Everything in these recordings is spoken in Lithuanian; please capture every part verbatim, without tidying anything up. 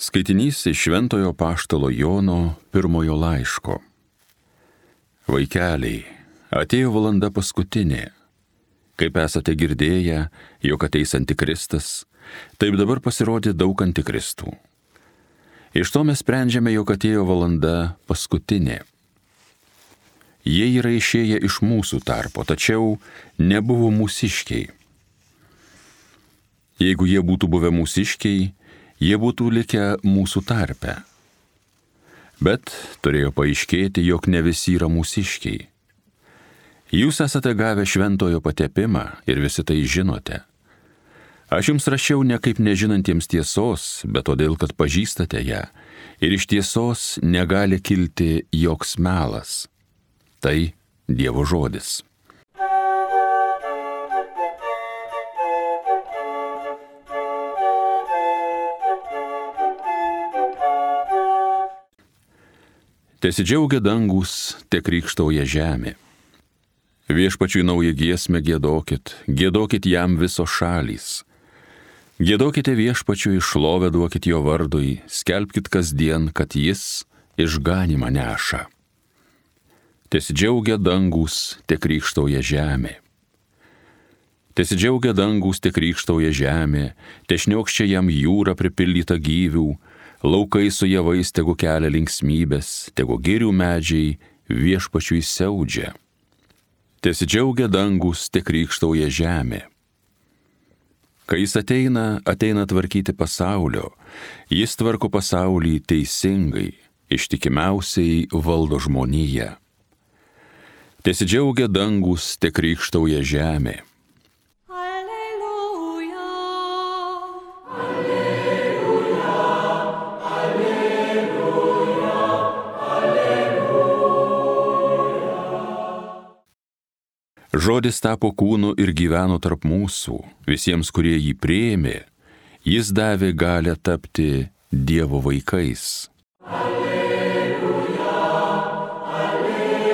Skaitinys iš Šventojo Apaštalo Jono pirmojo laiško. Vaikeliai, atėjo valanda paskutinė. Kaip esate girdėję, jog ateis antikristas, taip dabar pasirodė daug antikristų. Iš to mes sprendžiame, jog atėjo valanda paskutinė. Jie yra išėję iš mūsų tarpo, tačiau nebuvo mūsiškiai. Jeigu jie būtų buvę mūsiškiai, jie būtų likę mūsų tarpe. Bet turėjo paaiškėti, jog ne visi yra mūsiškiai. Jūs esate gavę šventojo patepimą ir visi tai žinote. Aš jums rašiau ne kaip nežinantiems tiesos, bet todėl, kad pažįstate ją, ir iš tiesos negali kilti joks melas. Tai Dievo žodis. Tesidžiaugia dangus, te krykštauja žemė. Viešpačiui naują giesmę giedokit, giedokit jam visos šalys. Giedokite viešpačiui, šlovę duokit jo vardui, skelbkit kasdien, kad jis išganymą neša. Tesidžiaugia dangus, te krykštauja žemė. Tesidžiaugia dangus, te krykštauja žemė, te šniokščia jam jūra pripildyta gyvių, laukai su javais tegu kelia linksmybės, tegu girių medžiai viešpačiui siaudžia. Tesidžiaugia dangus, te krykštauja žemė. Kai jis ateina, ateina tvarkyti pasaulio, jis tvarko pasaulį teisingai, ištikimiausiai valdo žmoniją. Tesidžiaugia dangus, te krykštauja žemė. Žodis tapo kūnu ir gyveno tarp mūsų, visiems, kurie jį priėmė, jis davė galią tapti Dievo vaikais. Alleluja, alleluja,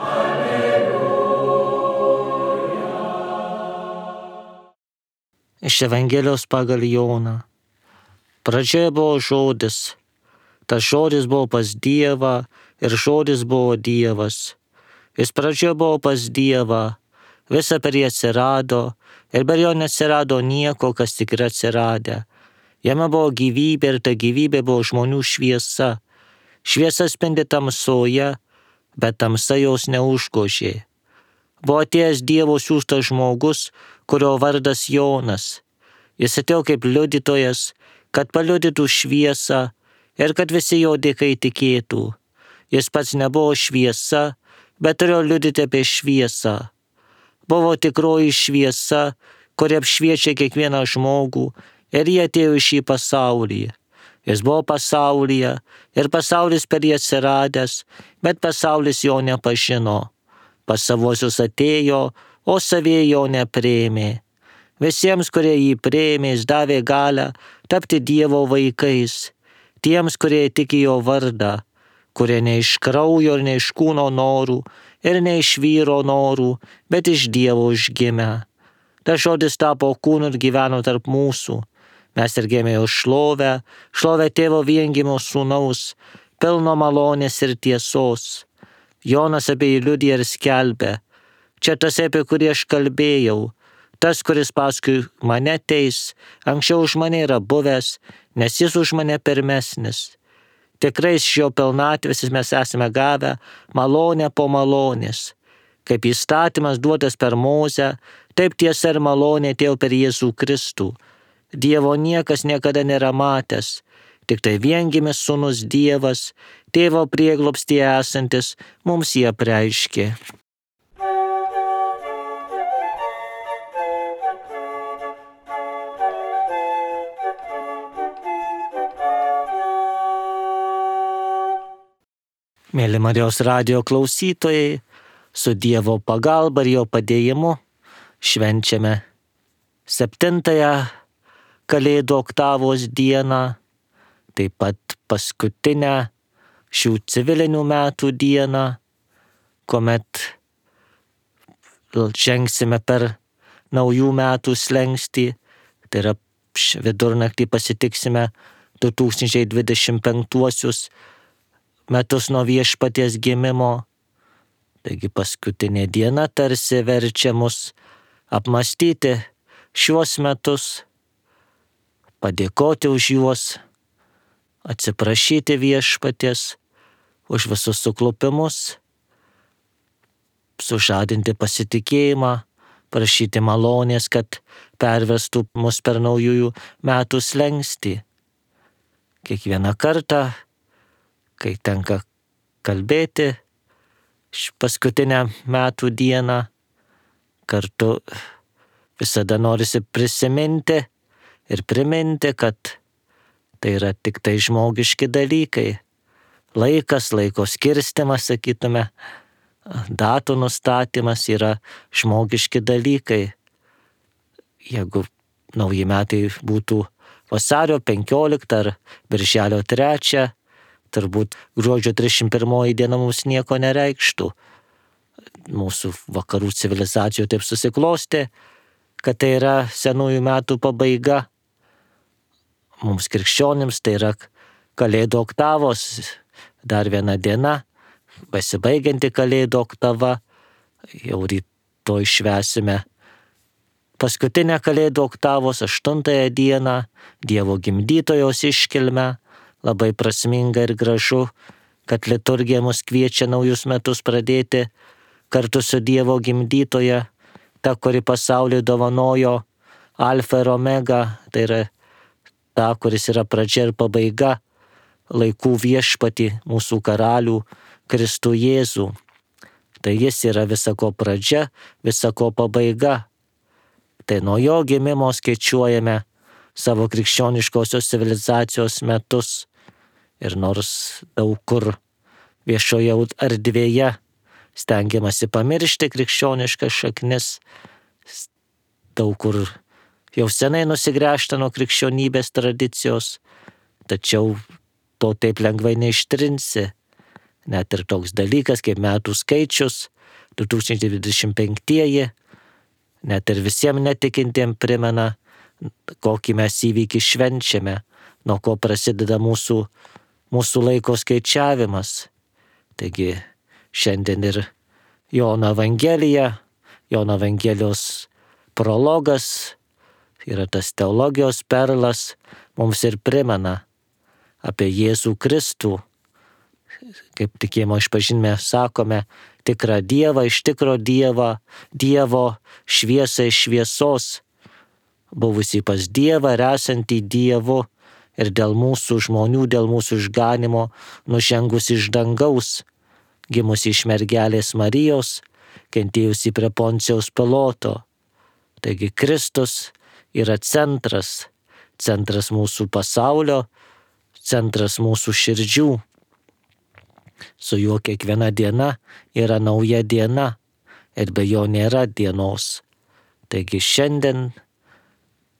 alleluja. Iš Evangelijos pagal Joną. Pradžioje buvo žodis, tas žodis buvo pas Dievą ir žodis buvo Dievas. Jis pradžioje buvo pas Dievą, visa per jį atsirado, ir per jo neatsirado nieko, kas tik yra atsiradę. Jame buvo gyvybė ir ta gyvybė buvo žmonių šviesa. Šviesa spindi tamsoje, bet tamsa jos neužgožė. Buvo atėjęs Dievo siųstas žmogus, kurio vardas Jonas. Jis atėjo kaip liudytojas, kad paliudytų šviesą ir kad visi jo dėka įtikėtų. Jis pats nebuvo šviesa, bet turėjo liudyti apie šviesą. Buvo tikroji šviesa, kuri apšviečia kiekvieną žmogų, ir jie atėjo į šį pasaulį. Jis buvo pasaulyje, ir pasaulis per jį atsiradęs, bet pasaulis jo nepažino. Pas savuosius atėjo, o savieji jo nepriėmė. Visiems, kurie jį priėmė, jis davė galią tapti Dievo vaikais, tiems, kurie tiki jo vardą, kurie ne iš kraujo ir ne iš kūno norų, ir ne iš vyro norų, bet iš Dievo užgimę. Tas žodis tapo kūnu ir gyveno tarp mūsų. Mes ir gėmė jo šlovę, šlovę tėvo viengimio sūnaus, pilno malonės ir tiesos. Jonas apie jį liudija ir skelbė. Čia tas, apie kurį aš kalbėjau, tas, kuris paskui mane teis, anksčiau už mane yra buvęs, nes jis už mane pirmesnis. Tikrai iš jo pilnatvės mes esame gavę malonę po malonės. Kaip įstatymas duotas per Mozę, taip tiesa ir malonė atėjo per Jėzų Kristų. Dievo niekas niekada nėra matęs, tik tai viengimis sūnus Dievas, tėvo prieglobstyje esantis, mums jį apreiškė. Mėly Marijos radijo klausytojai, su Dievo pagalba ir jo padėjimu švenčiame septintąją Kalėdų oktavos dieną, taip pat paskutinę šių civilinių metų dieną, kuomet žengsime per naujų metų slenkstį, tai yra vidurnaktį pasitiksime du tūkstančiai dvidešimt penktuosius metus nuo Viešpaties gimimo. Taigi paskutinė diena tarsi verčia mus apmastyti šiuos metus, padėkoti už juos, atsiprašyti Viešpaties už visus suklupimus, sužadinti pasitikėjimą, prašyti malonės, kad pervestų mus per naujųjų metų slenkstį. Kiekvieną kartą, kai tenka kalbėti paskutinę metų dieną, kartu visada norisi prisiminti ir priminti, kad tai yra tik tai žmogiški dalykai. Laikas, laiko skirstimas, sakytume, datų nustatymas yra žmogiški dalykai. Jeigu nauji metai būtų vasario penkioliktą ar birželio trečią, turbūt gruodžio trisdešimt pirmoji diena mums nieko nereikštų. Mūsų vakarų civilizacijų taip susiklostė, kad tai yra senųjų metų pabaiga. Mums krikščionims tai yra Kalėdų oktavos, dar viena diena, besibaigianti Kalėdų oktava, jau rytoj švęsime paskutinę Kalėdų oktavos aštuntąją dieną, Dievo gimdytojos iškilmę. Labai prasminga ir gražu, kad liturgija mus kviečia naujus metus pradėti kartu su Dievo gimdytoja, ta, kuri pasauliui dovanojo alfa ir omega, tai yra ta, kuris yra pradžia ir pabaiga, laikų viešpatį, mūsų karalių, Kristų Jėzų. Tai jis yra visako pradžia, visako pabaiga. Tai nuo jo gimimo skaičiuojame savo krikščioniškosios civilizacijos metus. Ir nors daug kur viešoje erdvėje stengiamasi pamiršti krikščioniškas šaknis, daug kur jau senai nusigręžta nuo krikščionybės tradicijos, tačiau to taip lengvai neištrinsi. Net ir toks dalykas kaip metų skaičius, du tūkstančiai dvidešimt penktieji, net ir visiems netikintiems primena, kokį mes įvykį švenčiame, nuo ko prasideda mūsų, mūsų laiko skaičiavimas. Taigi šiandien ir Jono Evangelija, Jono Evangelijos prologas, yra tas teologijos perlas, mums ir primena apie Jėzų Kristų. Kaip tikėjimo išpažinime sakome, tikrą Dievą iš tikro Dievą, Dievo šviesą iš šviesos, buvusį pas Dievą ir esantį Dievu ir dėl mūsų žmonių, dėl mūsų išganimo nužengus iš dangaus, gimusi iš mergelės Marijos, kentėjusi prie Poncijaus Piloto. Taigi Kristus yra centras, centras mūsų pasaulio, centras mūsų širdžių. Su juo kiekviena diena yra nauja diena ir be jo nėra dienos. Taigi šiandien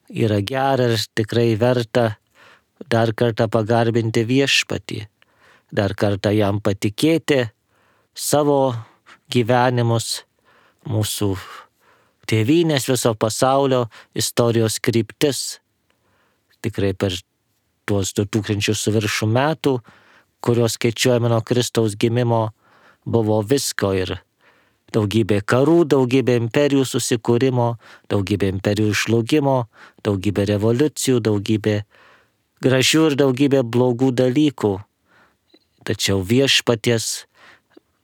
yra gera ir tikrai verta dar kartą pagarbinti Viešpatį, dar kartą jam patikėti savo gyvenimus, mūsų tėvynės, viso pasaulio istorijos kryptis. Tikrai per tuos du tūkstančius su viršų metų, kurios skaičiuojame nuo Kristaus gimimo, buvo visko ir daugybė karų, daugybė imperijų susikūrimo, daugybė imperijų žlugimo, daugybė revoliucijų, daugybė gražių ir daugybė blogų dalykų. Tačiau Viešpaties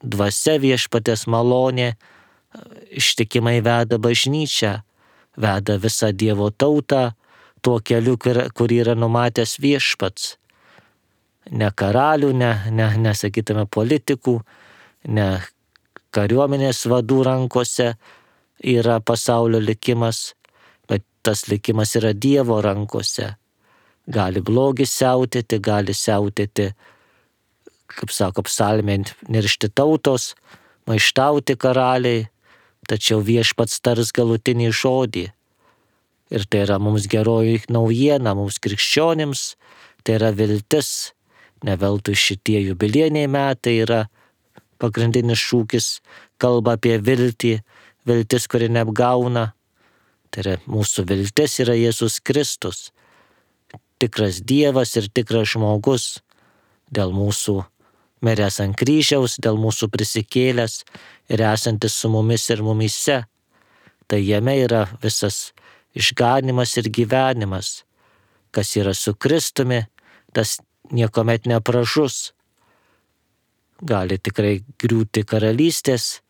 dvasia, Viešpaties malonė ištikimai veda bažnyčią, veda visą Dievo tautą tuo keliu, kurį yra numatęs Viešpats. Ne karalių, ne, ne, nesakytume politikų, ne kariuomenės vadų rankose yra pasaulio likimas, bet tas likimas yra Dievo rankose. Gali blogis siautėti, gali siautėti, kaip sako psalmė, niršti tautos, maištauti karaliai, tačiau Viešpats tars galutinį žodį. Ir tai yra mums geroji naujiena, mums krikščionims, tai yra viltis. Ne veltui šitie jubiliejiniai metai yra pagrindinis šūkis, kalba apie viltį, viltis, kuri neapgauna. Tai yra mūsų viltis yra Jėzus Kristus. tikras Dievas ir tikras žmogus, dėl mūsų miręs ant kryžiaus, dėl mūsų prisikėlęs ir esantis su mumis ir mumyse. Tai jame yra visas išganimas ir gyvenimas. Kas yra su Kristumi, tas niekuomet nepražus. Gali tikrai griūti karalystės,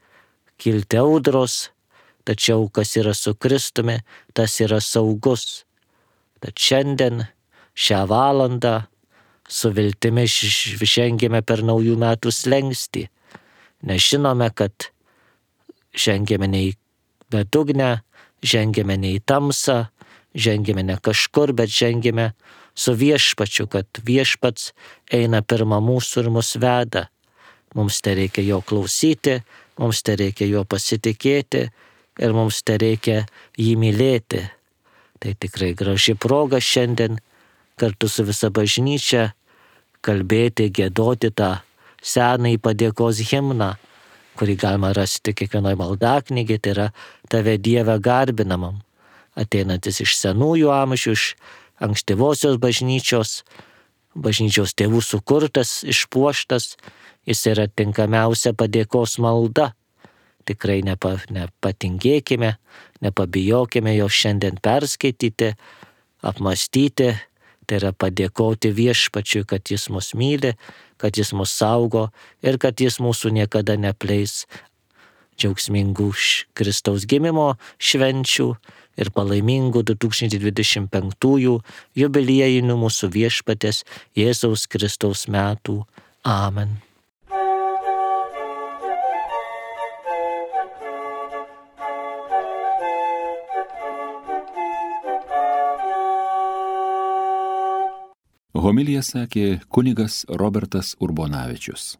kilti audros, tačiau kas yra su Kristumi, tas yra saugus. Tad šiandien, šią valandą, su viltimi žengėme per naujų metų slengstį. Nežinome, kad žengėme ne į bedugnę, žengėme ne į tamsą, žengėme ne kažkur, bet žengėme su viešpačiu, kad viešpats eina pirma mūsų ir mus veda. Mums te reikia jo klausyti, mums te reikia jo pasitikėti ir mums te reikia jį mylėti. Tai tikrai graži proga šiandien kartu su visa bažnyčia kalbėti, giedoti tą senąjį padėkos himną, kurį galima rasti kiekvienoje maldaknygėje, tai yra Tave Dieve garbinamam, ateinantis iš senųjų amžių, iš ankstyvosios bažnyčios, bažnyčios tėvų sukurtas, išpuoštas, jis yra tinkamiausia padėkos malda. Tikrai nepa, nepatingėkime, nepabijokime jo šiandien perskaityti, apmastyti, tai yra padėkoti viešpačiui, kad jis mus myli, kad jis mus saugo ir kad jis mūsų niekada nepleis. Džiaugsmingų Kristaus gimimo švenčių ir palaimingų du tūkstančiai dvidešimt penktųjų jubiliejinių mūsų viešpatės Jėzaus Kristaus metų. Amen. Homiliją sakė kunigas Robertas Urbonavičius.